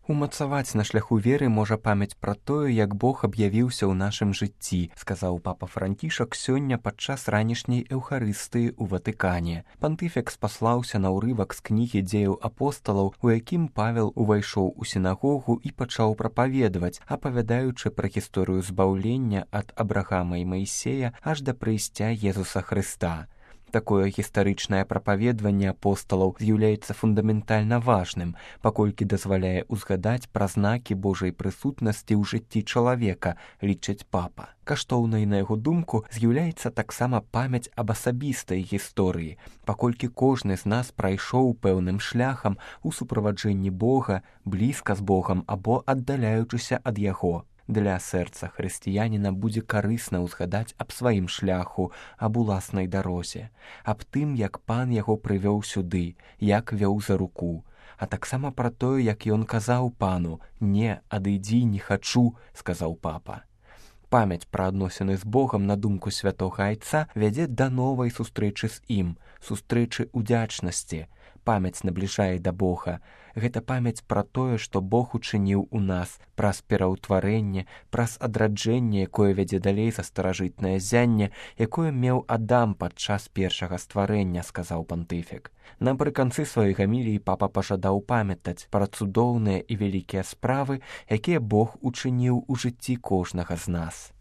Умацаваць на шляху веры можа памяць пра тое, як Бог аб'явіўся ў нашым жыцці, сказаў папа Францішак сёння падчас ранішняй эўхарыстыі ў Ватыкане. Пантыфік спаслаўся на ўрывак з кнігі дзеяў апосталаў, у якім Павел увайшоў у сінагогу і пачаў прапаведаваць, апавядаючы пра гісторыю збаўлення ад Абрагама і Маісея аж да прыйсця Езуса Хрыста. Такое гістарычнае прапаведванне апосталаў з'яўляецца фундаментальна важным, паколькі дазваляе ўзгадаць пра знакі Божай прысутнасці ў жыцці чалавека, лічыць папа. Каштоўнай, на яго думку, з'яўляецца таксама памяць аб асабістай гісторыі, паколькі кожны з нас прайшоў пэўным шляхам у суправаджэнні Бога, блізка з Богам або аддаляючыся ад яго. Для сэрца хрысціяніна будзе карысна ўзгадаць аб сваім шляху, аб уласнай дарозе, аб тым, як пан яго прывёў сюды, як вёў за руку, а таксама пра тое, як ён казаў пану: «Не, адыдзі, не хачу», сказаў папа. Памяць пра адносіны з Богам, на думку святога айца, вядзе да новай сустрэчы з ім, сустрэчы ўдзячнасці. Памяць набліжае да Бога. Гэта памяць пра тое, што Бог учыніў у нас, праз пераўтварэнне, праз адраджэнне, якое вядзе далей за старажытнае зянне, якое меў Адам падчас першага стварэння, сказаў пантыфік. Напрыканцы сваёй гаміліі папа пажадаў памятаць пра цудоўныя і вялікія справы, якія Бог учыніў у жыцці кожнага з нас.